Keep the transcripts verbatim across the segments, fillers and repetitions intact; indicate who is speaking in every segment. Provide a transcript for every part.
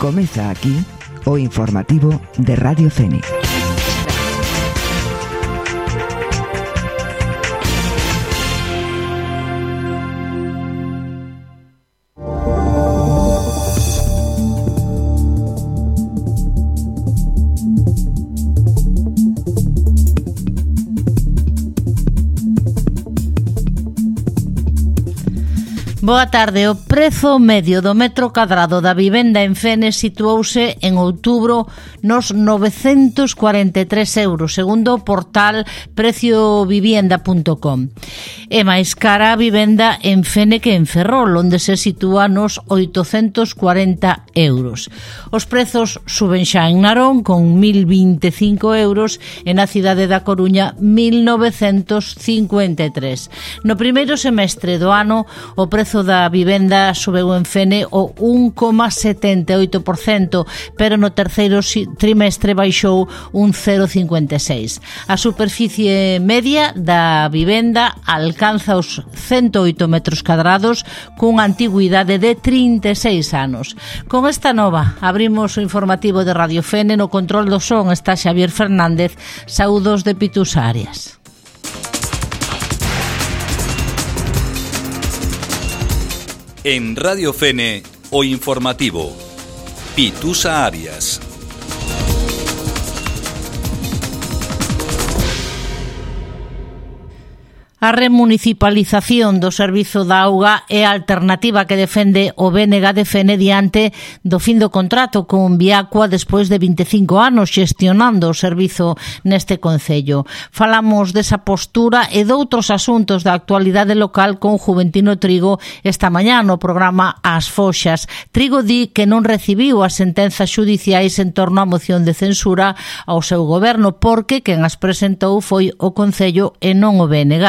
Speaker 1: Comeza aquí o informativo de Radio Fene.
Speaker 2: Boa tarde. O prezo medio do metro cadrado da vivenda en Fene situouse en outubro nos novecentos cuarenta e tres euros, segundo o portal precio vivienda punto com. É máis cara a vivenda en Fene que en Ferrol, onde se sitúa nos oitocentos cuarenta euros. Os prezos suben xa en Narón con mil vinte e cinco euros e na cidade da Coruña mil novecentos cincuenta e tres. No primeiro semestre do ano o prezo da vivenda subeu en Fene o un coma setenta e oito por cento, pero no terceiro trimestre baixou un cero coma cincuenta e seis. A superficie media da vivenda alcanza os cento oito metros cadrados cunha antigüidade de trinta e seis anos. Con esta nova abrimos o informativo de Radio Fene. No control do son está Xavier Fernández. Saúdos de Pitusa Arias.
Speaker 3: En Radio Fene, o informativo. Pitusa Arias.
Speaker 2: A remunicipalización do servizo da auga é a alternativa que defende o B N G de Fene diante do fin do contrato con Viacua despois de vinte e cinco anos xestionando o servizo neste concello. Falamos desa postura e doutros asuntos da actualidade local con Juventino Trigo esta mañá no programa As Foxas. Trigo di que non recibiu as sentenzas xudiciais en torno á moción de censura ao seu goberno porque quen as presentou foi o concello e non o B N G.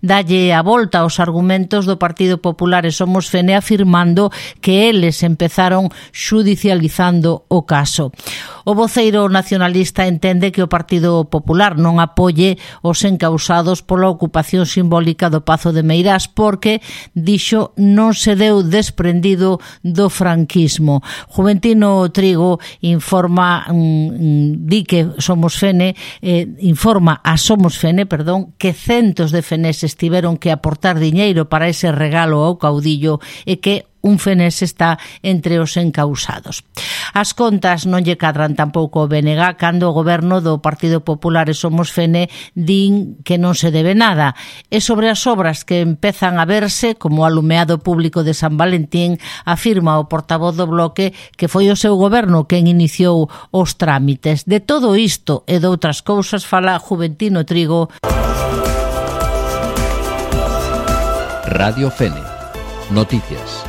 Speaker 2: Dalle a volta aos argumentos do Partido Popular e Somos Fene afirmando que eles empezaron xudicializando o caso. O voceiro nacionalista entende que o Partido Popular non apoie os encausados pola ocupación simbólica do Pazo de Meirás porque, dixo, non se deu desprendido do franquismo. Juventino Trigo informa, mmm, di que Somos Fene, eh, informa a Somos Fene, perdón, que centos de feneses tiveron que aportar diñeiro para ese regalo ao caudillo e que un fenés está entre os encausados. As contas non lle cadran tampouco o B N G cando o goberno do Partido Popular e Somos Fene din que non se debe nada. E sobre as obras que empezan a verse, como o alumeado público de San Valentín, afirma o portavoz do Bloque que foi o seu goberno quen iniciou os trámites. De todo isto e de outras cousas fala Juventino Trigo.
Speaker 4: Radio Fene. Noticias.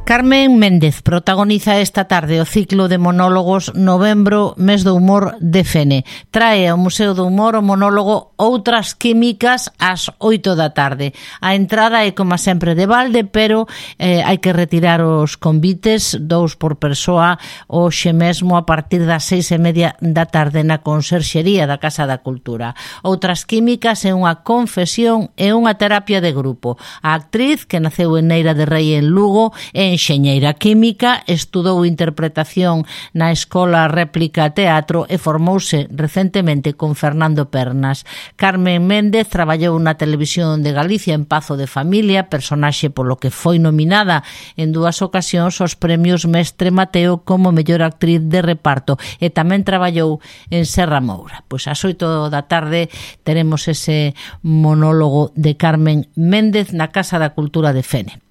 Speaker 2: Carmen Méndez protagoniza esta tarde o ciclo de monólogos Novembro, mes do humor de Fene. Trae ao Museo do Humor o monólogo Outras Químicas ás oito da tarde. A entrada é, como sempre, de balde, pero eh, hai que retirar os convites, dous por persoa, hoxe mesmo a partir das seis e media da tarde na Conserxería da Casa da Cultura. Outras Químicas é unha confesión e unha terapia de grupo. A actriz, que naceu en Neira de Rei en Lugo, é enxeñeira química, estudou interpretación na Escola Réplica Teatro e formouse recentemente con Fernando Pernas. Carmen Méndez traballou na Televisión de Galicia en Pazo de Familia, personaxe polo que foi nominada en dúas ocasións aos premios Mestre Mateo como mellor actriz de reparto e tamén traballou en Serra Moura. Pois ás oito da tarde teremos ese monólogo de Carmen Méndez na Casa da Cultura de Fene.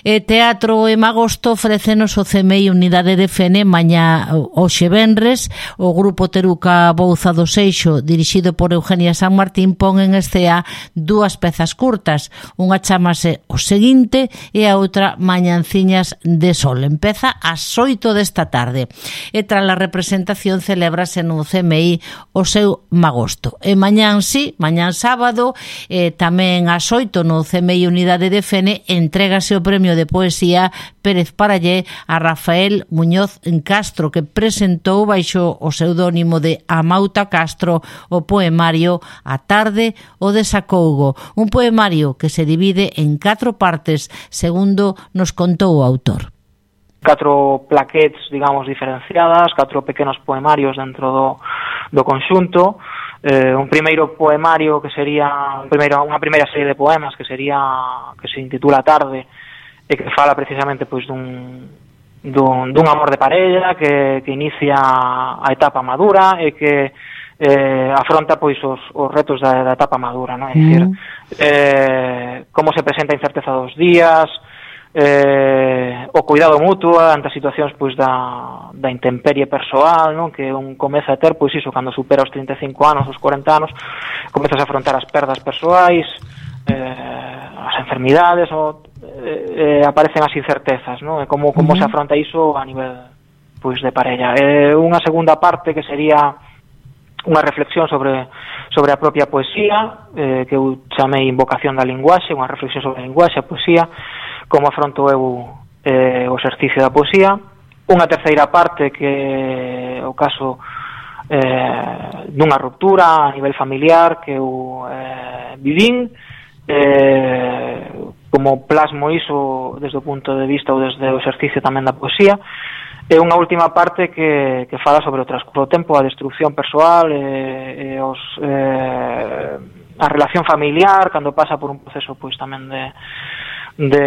Speaker 2: E Teatro en Agosto ofrécenos o C M I Unidade de Fene mañá hoxe venres. O grupo Teruca Bouza do Seixo, dirixido por Eugenia San Martín, pon en escea dúas pezas curtas. Unha chamase O Seguinte e a outra Mañanciñas de Sol. Empeza ás oito desta tarde. E tras a representación celébrase no C M I o seu Magosto. E mañán sí, mañán sábado, e tamén ás oito no C M I Unidade de Fene, entrégase o premio Premio de Poesía Pérez Parallé a Rafael Muñoz Castro, que presentou baixo o pseudónimo de Amauta Castro o poemario A tarde o desacougo, un poemario que se divide en catro partes, segundo nos contou o autor.
Speaker 5: Catro plaquetes, digamos, diferenciadas, catro pequenos poemarios dentro do, do conxunto. Eh, un primeiro poemario que sería un primeiro, unha primeira serie de poemas que sería que se intitula Tarde e que fala precisamente pois dun, dun, dun amor de parella que, que inicia a etapa madura e que eh, afronta pois os, os retos da, da etapa madura, non? É dicir, mm. eh, como se presenta a incerteza dos días, eh, o cuidado mutuo ante as situacións pois da, da intemperie persoal, non? Que un comeza a ter, pois iso, cando supera os trinta e cinco anos, os cuarenta anos, comezas a afrontar as perdas persoais, eh, as enfermidades, o, eh, eh, aparecen as incertezas, non? E como, como uh-huh. se afronta iso a nivel pois de parella. Eh, unha segunda parte que sería unha reflexión sobre sobre a propia poesía, eh, que eu chamei Invocación da linguaxe, unha reflexión sobre a linguaxe, a poesía, como afronto eu eh, o exercicio da poesía. Unha terceira parte que o caso eh, dunha ruptura a nivel familiar que eu eh, vivín, eh, como plasmo iso desde o punto de vista ou desde o exercicio tamén da poesía. E unha última parte que, que fala sobre o transcurso do tempo, a destrucción persoal e, e os, eh, a relación familiar cando pasa por un proceso pois tamén de de,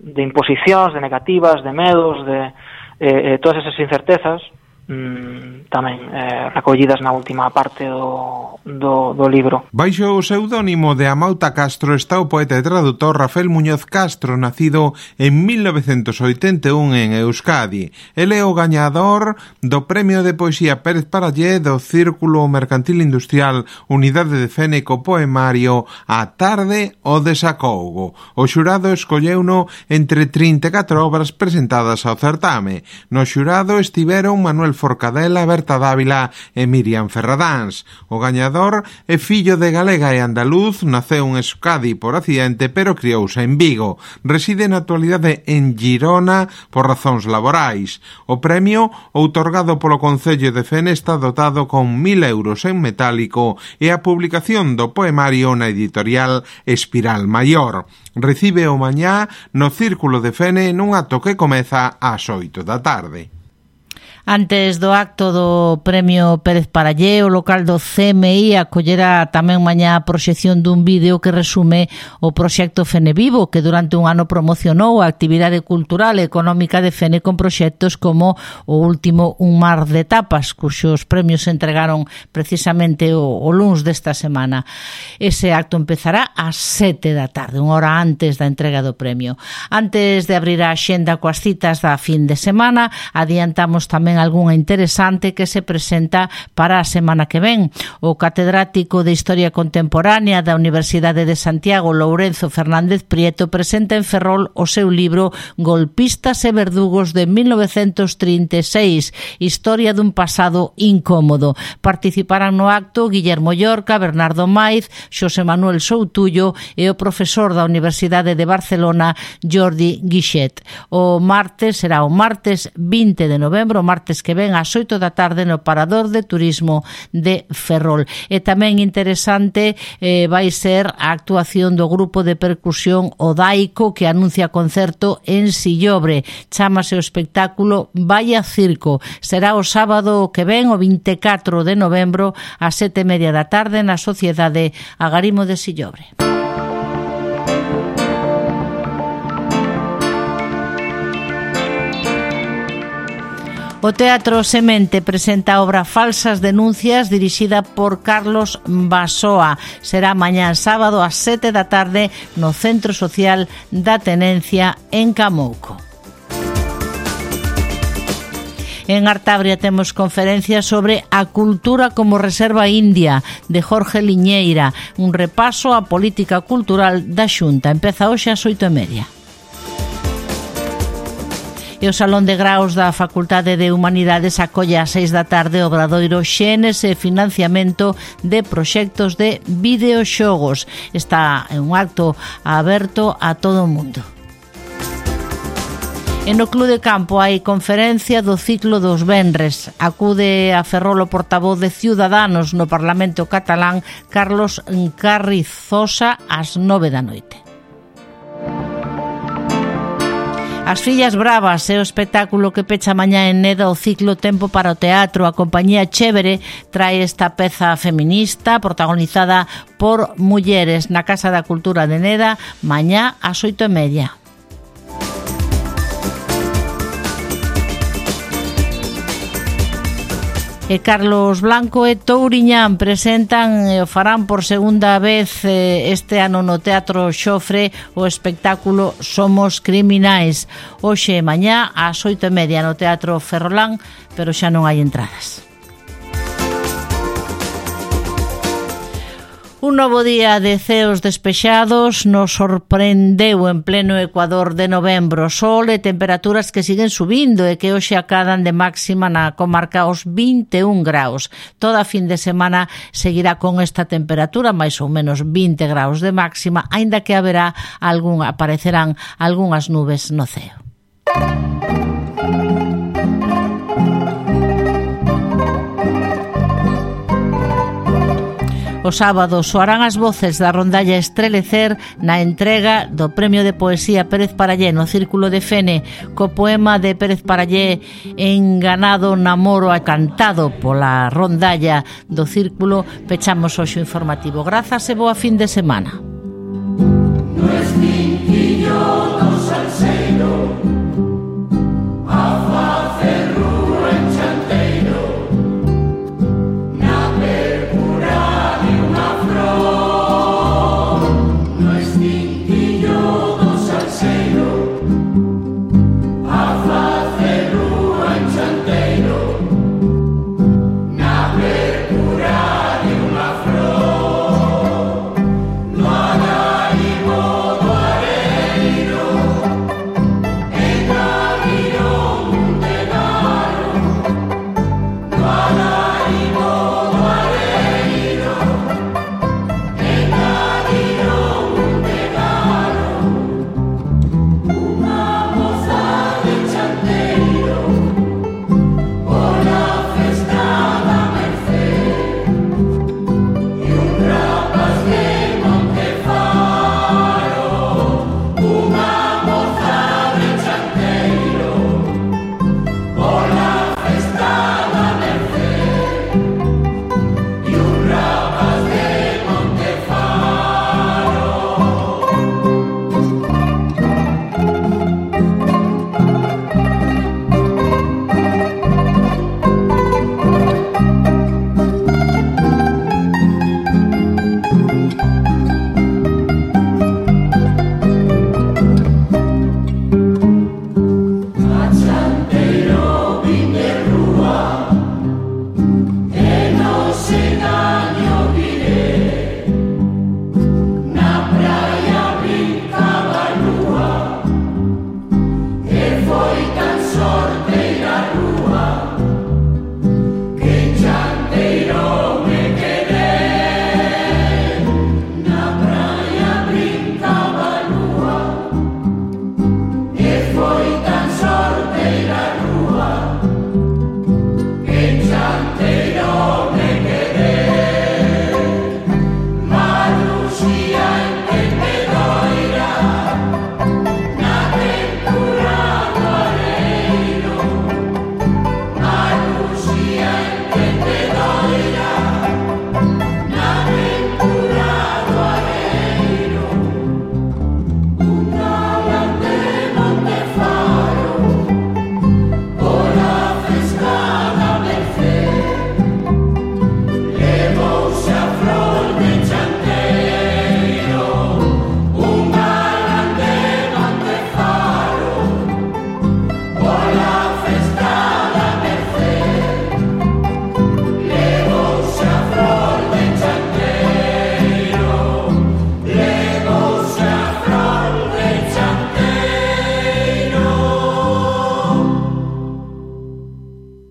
Speaker 5: de imposicións, de negativas, de medos, de eh, todas esas incertezas mm, tamén eh, recollidas na última parte do, do, do libro.
Speaker 6: Baixo o pseudónimo de Amauta Castro está o poeta e tradutor Rafael Muñoz Castro, nacido en mil novecentos oitenta e un en Euskadi. El é o gañador do Premio de Poesía Pérez Parallé do Círculo Mercantil Industrial Unidade de Fene co poemario A tarde o desacougo. O xurado escolleuno entre trinta e catro obras presentadas ao certame. No xurado estiveron Manuel Forcadela, Berta Dávila e Miriam Ferradáns. O gañador é fillo de galega e andaluz, naceu en Euskadi por accidente, pero criouse en Vigo. Reside na actualidade en Girona por razóns laborais. O premio, outorgado polo Concello de Fene, está dotado con mil euros en metálico e a publicación do poemario na editorial Espiral Maior. Recibe o mañá no Círculo de Fene nun acto que comeza ás oito da tarde.
Speaker 2: Antes do acto do Premio Pérez Parallé, o local do C M I acollera tamén mañá a proxección dun vídeo que resume o proxecto Fene Vivo, que durante un ano promocionou a actividade cultural e económica de Fene con proxectos como o último Un mar de tapas, cuxos premios se entregaron precisamente o, o luns desta semana. Ese acto empezará ás sete da tarde, unha hora antes da entrega do premio. Antes de abrir a axenda coas citas da fin de semana, adiantamos tamén algunha interesante que se presenta para a semana que ven. O catedrático de Historia Contemporánea da Universidade de Santiago, Lourenzo Fernández Prieto, presenta en Ferrol o seu libro Golpistas e verdugos de mil novecentos trinta e seis, Historia dun pasado incómodo. Participarán no acto Guillermo Llorca, Bernardo Maiz, Xosé Manuel Soutullo e o profesor da Universidade de Barcelona, Jordi Guixet. O martes será o martes vinte de novembro, o martes que ven ás oito da tarde no Parador de Turismo de Ferrol. E tamén interesante eh, vai ser a actuación do grupo de percusión Odaico, que anuncia concerto en Sillobre. Chámase o espectáculo Vaya Circo. Será o sábado que ven, o vinte e catro de novembro, ás sete e media da tarde na Sociedade Agarimo de Sillobre. O Teatro Semente presenta a obra Falsas denuncias, dirixida por Carlos Basoa. Será mañá sábado ás sete da tarde no Centro Social da Tenencia en Camouco. En Artabria temos conferencias sobre a cultura como reserva india, de Jorge Liñeira, un repaso á política cultural da Xunta. Empeza hoxe ás oito e media. E o Salón de Graos da Facultade de Humanidades acolle ás seis da tarde o obradoiro Xenes e financiamento de proxectos de videoxogos. Está en un acto aberto a todo o mundo. E no Club de Campo hai conferencia do ciclo dos venres. Acude a Ferrol o portavoz de Ciudadanos no Parlamento catalán, Carlos Carrizosa, ás nove da noite. As Fillas Bravas é o espectáculo que pecha mañá en Neda o ciclo Tempo para o Teatro. A compañía Chévere trae esta peza feminista protagonizada por mulleres na Casa da Cultura de Neda mañá ás oito e media. E Carlos Blanco e Touriñán presentan e o farán por segunda vez este ano no Teatro Xofre o espectáculo Somos Criminais. Hoxe e mañá ás oito e media no Teatro Ferrolán, pero xa non hai entradas. Un novo día de ceos despexados nos sorprendeu en pleno Ecuador de novembro. Sol e temperaturas que siguen subindo e que hoxe acadan de máxima na comarca os vinte e un graus. Toda a fin de semana seguirá con esta temperatura, máis ou menos vinte graus de máxima, aínda que haberá algún, aparecerán algunhas nubes no ceo. O sábado soarán as voces da rondalla Estrelecer na entrega do Premio de Poesía Pérez Parallé no Círculo de Fene, co poema de Pérez Parallé Enganado namoro cantado pola rondalla do Círculo. Pechamos hoxe o informativo. Grazas e boa fin de semana.